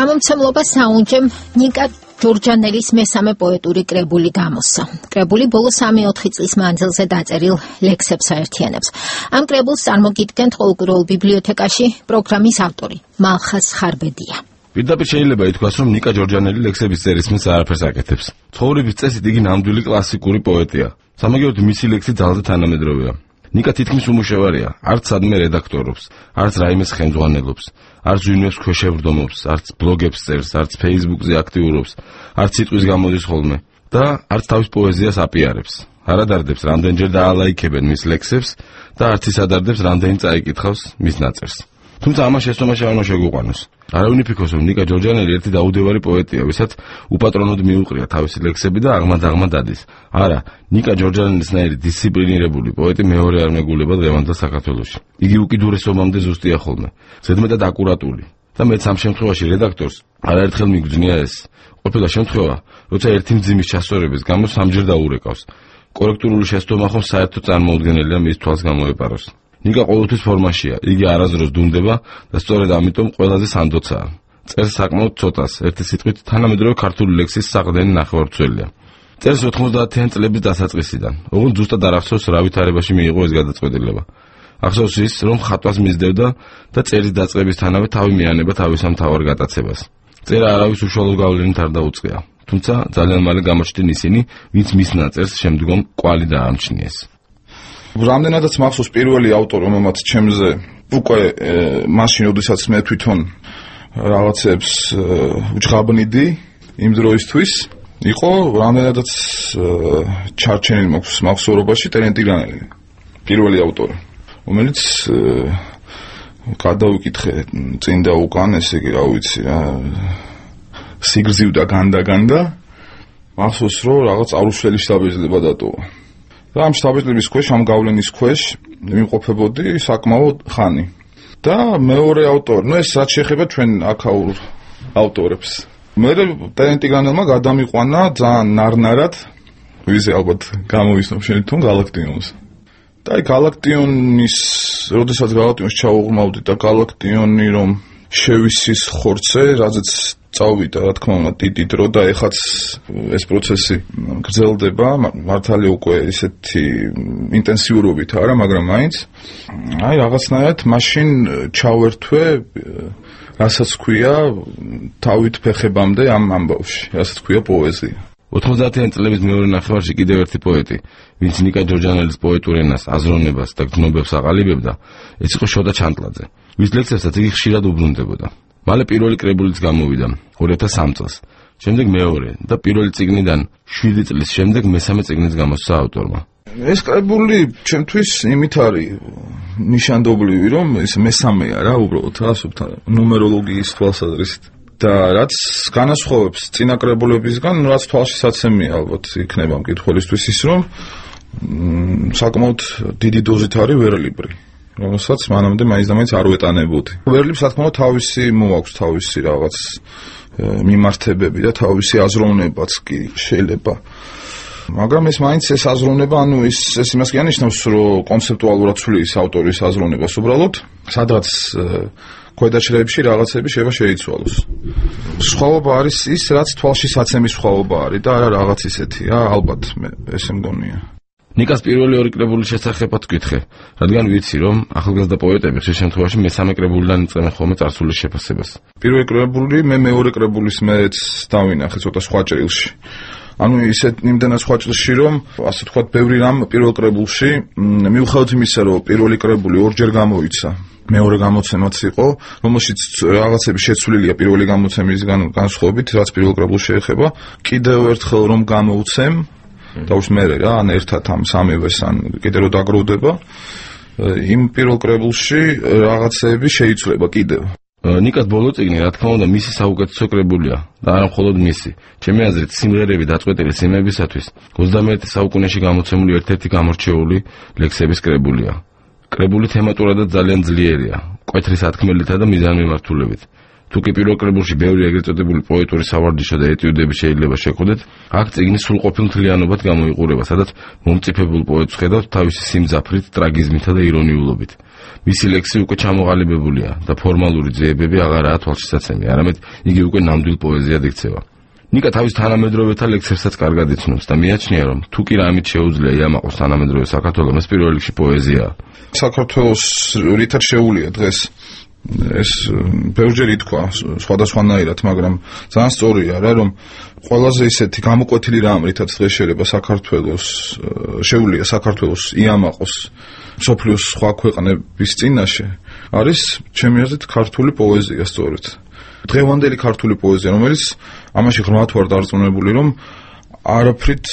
გამომცემლობა საუნჯემ ნიკა ჯორჯანელის მესამე პოეტური კრებული გამოსცა. კრებული ბოლო 3-4 წლის მანძილზე დაწერილ ლექსებს აერთიანებს. ამ კრებულს წარმოგიდგენთ ყოველკვირეულ ბიბლიოთეკაში პროგრამის ავტორი მალხაზ ხარბედია. პირდაპირ შეიძლება ითქვას, რომ ნიკა ჯორჯანელი ლექსების წერის მის არაფერს აკეთებს. ცხოვრების წესით იგი ნამდვილი კლასიკური პოეტია. სამაგიეროდ მისი ლექსი ძალზე თანამედროვეა. ნიკა თითქმის უმუშევარია, არც სადმე რედაქტორობს, არც რაიმეს ხელმძღვანელობს, არც ვინმეს ქვეშევრდომობს, არც ბლოგებს წერს, არც Facebook-ზე აქტიურობს, არც სიტყვის გამოდის ხოლმე და არც თავის პოეზიას აპიარებს. არ ადარდებს, რამდენჯერ დაალაიქებენ მის ლექსებს და არც ის ადარდებს, რამდენი წაიკითხავს მის ნაწერს. თუმცა ამას შეცდომაში არ უნდა შეგვიყვანოს. არავინ იფიქროს, რომ ნიკა ჯორჯანელი ერთი დაუდევარი პოეტია, ვისაც უპატრონოდ მიუყრია თავისი ლექსები და აღმად დადის. არა, ნიკა ჯორჯანელისნაირი დისციპლინირებული პოეტი მეორე არ მეგულება დღევანდელ საქართველოში. იგი უკიდურესობამდე ზუსტია ხოლმე, ზედმეტად აკურატული. და მეც ამ შემთხვევაში რედაქტორს არაერთხელ მიგძნია ეს. ყოფილა შემთხვევა, როცა ერთი მძიმის ჩასწორების გამო სამჯერ დაურეკავს. კორექტული შეცდომა ხომ საერთოდ წარმოუდგენელია მის თვალს გამოეპაროს. ნიკა ყოველთვის ფორმაშია, იგი არასდროს დუმდება და სწორედ ამიტომ ყველაზე სანდოცაა. წერს საკმაოდ ცოტას, ერთი სიტყვით თანამედროვე ქართული ლექსის საყრდენი ნახევარცველია. წერს 90-იან წლების დასაწყისიდან, ოღონდ ზუსტად არ ახსოვს რა ვითარებაში მიიღო ეს გადაწყვეტილება. ახსოვს ის, რომ ხატვას მისდევდა და წერის დაწყებისთანავე თავი მიანება თავის ამ მთავარ გატაცებას. წერა არავის უშუალო გავლენით არ დაუწყია, თუმცა ძალიან მალე გამოჩნდნენ ისინი, ვინც მის ნაწერს შემდგომ კვალი დაამჩნიეს. რამდენადაც მახსოვს პირველი ავტორი, რომელმაც ჩემზე უკვე მაშინ, როდესაც მე თვითონ რაღაცებს უჯღაბნიდი იმ დროისთვის, იყო რამდენადაც ჩარჩენილი მახსოვრობაში ტერენტიგრანელი, პირველი ავტორი, რომელიც გადავიკითხე წინ და უკან, ესე იგი, რა ვიცი რა, სიგრძივდა განდა, მახსოვს, რომ რაღაც არუშველი შთაბეჭდილება დატოვა. და ამ შთაბეჭდილების ქვეშ, ამ გავლენის ქვეშ მიმყოფებოდი საკმაოდ ხანი. და მეორე ავტორი, ეს რაც შეეხება ჩვენ აქაურ ავტორებს. მე ტერენტიგრანელმა გადამიყვანა ძალიან ნარნარად, ვიზე ალბათ გამოვისნობ შენ თვითონ გალაქტიონს. და აი გალაქტიონის, როდესაც გალაქტიონს ჩაუღრმავდი და გალაქტიონი რომ შევისის ხორცე, რაზეც წავიდა, რა თქმა უნდა, დიდი დრო და ეხაც ეს პროცესი გრძელდება, მართალია უკვე ისეთი ინტენსიურობით არა, მაგრამ მაინც აი რაღაცნაირად მაშინ ჩავერთვე, რასაც ქვია თავით ფეხებამდე ამ ამბავში, რასაც ქვია პოეზია. 90-იან წლების მეორე ნახევარში კიდევ ერთი პოეტი, ვინც ნიკა ჯორჯანელის პოეტურ ენას, აზროვნებას და გრძნობებს აყალიბებდა, ეს იყო შოდა ჩანტლაძე, ვის ლექსებსაც იგი ხშირად უბრუნდებოდა. მალე პირველი კრებულიც გამოვიდა 2003 წელს, შემდეგ მეორე და პირველი წიგნიდან 7 წლის შემდეგ მესამე წიგნიც გამოსცა ავტორმა. ეს კრებული ჩემთვის იმით არის ნიშანდობლივი, რომ ეს მესამეა რა, უბრალოდ ასობთან ნუმეროლოგიის თვალსაზრისით. და რაც განასხვავებს წინა კრებულებისგან, რაც თვალშისაცემია ალბათ იქნება მკითხველისთვის ის, რომ საკმაოდ დიდი დოზით არის ვერლიბრი, რომელსაც მანამდე მაინც და მაინც არ ვეტანებოდი. ვერლიბს რა თქმა უნდა თავისი მოაქვს, თავისი რაღაც მიმართებები და თავისი აზროვნებაც კი შეიძლება. მაგრამ ეს მაინც ეს აზროვნება, ანუ ეს იმას კი ანიშნავს, რომ კონცეპტუალურად ცვლის ავტორის აზროვნებას უბრალოდ, სადღაც ქვედაჭრეებში რაღაცები შეიძლება შეიცვალოს. სხვაობა არის ის, რაც თვალშისაცემის სხვაობა არის და არა რაღაც ისეთია, ალბათ მე ესე მგონია. ნიკას პირველი ორი კრებულის შესახებაც ვკითხე, რადგან ვიცი, რომ ახალგაზრდა პოეტები ხშირ შემთხვევაში მესამე კრებულიდან იწყებენ ხოლმე წარსულის შეფასებას. პირველი კრებული, მე მეორე კრებულის მეც დავინახე ცოტა სხვა ჭრილში. ანუ ისეთ იმდენად სხვა ჭრილში, რომ ასე თქვა, ბევრი რამ პირველ კრებულში, მიუხედავად იმისა, რომ პირველი კრებული ორჯერ გამოიცა. მეორე გამოცემაც იყო, რომელშიც რაღაცები შეცვლილია პირველი გამოცემისგან განსხვავებით, რაც პირველ კრებულს შეეხება. კიდევ ერთხელ რომ გამოვცემ, დაუშვ მე რა, ან ერთად ამ სამივეს, ან კიდევ რო დაგროვდება, იმ პირველ კრებულში რაღაცები შეიცვლება კიდევ. ნიკას ბოლო წიგნი, რა თქმა უნდა, მისი საუკეთესო კრებულია და არა მხოლოდ მისი. ჩემი აზრით, სიმღერები დაწყვეტილი სიმებისათვის 21 საუკუნეში გამოცემული ერთ-ერთი გამორჩეული ლექსების კრებულია. კრებული თემატურადაც ძალიან ძლიერია, მკვეთრი სათქმელითა და მიზანმიმართულებით. თუ კი პირველ კრებულში ბევრი ეგრეთ წოდებული პოეტური სავარჯიშო და ეტიუდები შეიძლება შეხვდეთ, აქ წიგნი სრულყოფილ მთლიანობად გამოიყურება, სადაც მომწიფებულ პოეტს ხედავთ თავისი სიმძაფრით, ტრაგიზმითა და ირონიულობით. მისი ლექსი უკვე ჩამოყალიბებულია და ფორმალური ძიებები აღარაა თვალშისაცემი, არამედ იგი უკვე ნამდვილ პოეზიად იქცევა. ნიკა თავის თანამედროვეთა ლექსებსაც კარგად იცნობს და მიაჩნია, რომ თუ კი რამით შეუძლია იამაყოს თანამედროვე საქართველოს, ეს პირველ რიგში პოეზიაა. საქართველოს რითაც შეუულია დღეს ეს ბევრჯერ ითქვა სხვადასხვანაირად, მაგრამ ძალიან სწორია რა, რომ ყველაზე ისეთი გამოკვეთილი რამ, რითაც დღეს შეიძლება საქართველოს შეუულია საქართველოს იამაყოს მსოფლიოს სხვა ქვეყნების წინაშე, არის ჩემი აზრით ქართული პოეზია სწორედ. დღევანდელი ქართული პოეზია, რომელიც ამაში ღრმად ვარ დარწმუნებული, რომ არაფრით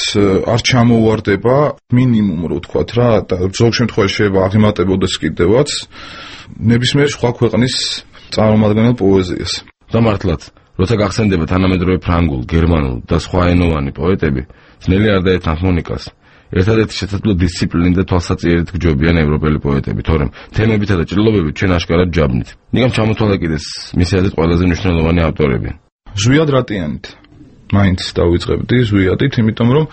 არ ჩამოუვარდება მინიმუმ რო ვთქვათ რა, და ზოგ შემთხვევაში შეიძლება აღემატებოდეს კიდევაც ნებისმიერ სხვა ქვეყნის წარმომადგენელ პოეზიას. და მართლაც, როცა გახსენდება თანამედროვე ფრანგულ, გერმანულ და სხვაენოვანი პოეტები, ძნელი არ დაეთანხმო ნიკას. ერთადერთი შესაძლო დისციპლინით და თვალსაჩინით გჯობიან ევროპელი პოეტები, თორემ თემებითა და ჭრილობებით ჩვენ აშკარად ჯაბნით. ნიკამ ჩამოთვალა კიდეს მისი აზრით ყველაზე მნიშვნელოვანი ავტორები. ზვიად რატიანით მაინც დავიწყებდი ზვიადით, იმიტომ რომ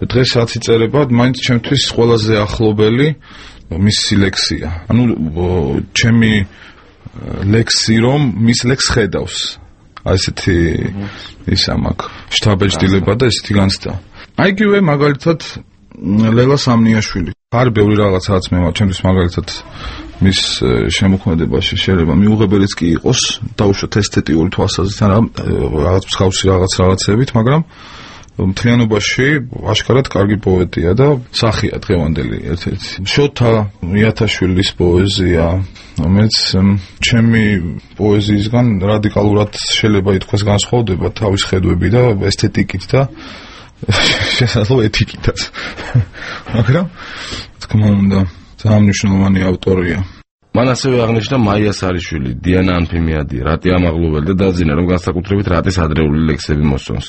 დღეს რაც იწერება, მაინც ჩემთვის ყველაზე ახლობელი მისი ლექსია. ანუ ჩემი ლექსი რომ მის ლექსს ხედავს. ასეთი ისა მაქვს შთაბეჭდილება და ესეთი განცდა. აიგივე მაგალითად ლელა სამნიაშვილი. არ ბევრი რაღაცაც მე ჩემთვის მაგალითად მის შემოქმედებაში შეიძლება მიუღებელიც კი იყოს, დაუშვათ ესთეტიური თვალსაზრისით, რაღაც მსგავსი რაღაცებით, მაგრამ მთლიანობაში აშკარად კარგი პოეტია და სახია დღევანდელი ერთ-ერთი. შოთა მიათაშვილის პოეზია, რომელიც ჩემი პოეზიისგან რადიკალურად შეიძლება ითქვას განსხვავდება თავის ხედვები და ესთეტიკით და შესაძლოა ეთიკითაც. მაგრამ თქმა უნდა, ძალიან მნიშვნელოვანი ავტორია. მან ასევე აღნიშნა მაია სარიშვილი, დიანა ანფიმიადი, რატი ამაღლოველი და დაძინა, რომ განსაკუთრებით რატის ადრეული ლექსები მოსწონს.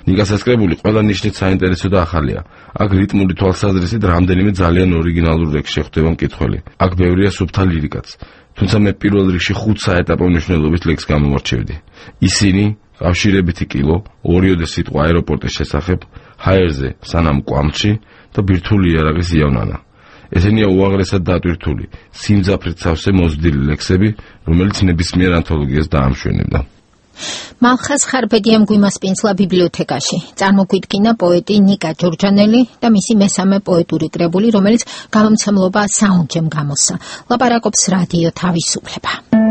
ნიკას ასკრებული ყველა ნიშნით საინტერესო და ახალია. აქ რიტმული თვალსაზრისით რამდენიმე ძალიან ორიგინალურ ლექსში ხვდება მკითხველი. აქ ბევრია სუფთა ლირიკაც. თუმცა მე პირველ რიგში 5 საეტაპო მნიშვნელობის ლექსს გამომარჩევდი. ისინი კავშირებითი კილო, ორიოდე სიტყვა აეროპორტის შესახებ, ჰაერზე სანამ კვამჩი და ბირთვული იარაღის იავნანა. ესენია უაღრესად დატვირთული, სიმძაფრით სავსე მოზრდილი ლექსები, რომელიც ნებისმიერ ანთოლოგიას დაამშვენებდა. მალხას ხარბედია მგვიმასპინძლა ბიბლიოთეკაში. წარმოგვიდგინა პოეტი ნიკა ჯორჯანელი და მისი მესამე პოეტური კრებული, რომელიც გამომცემლობა საუნჯემ გამოსცა. ლაპარაკობს რადიო თავისუფლება.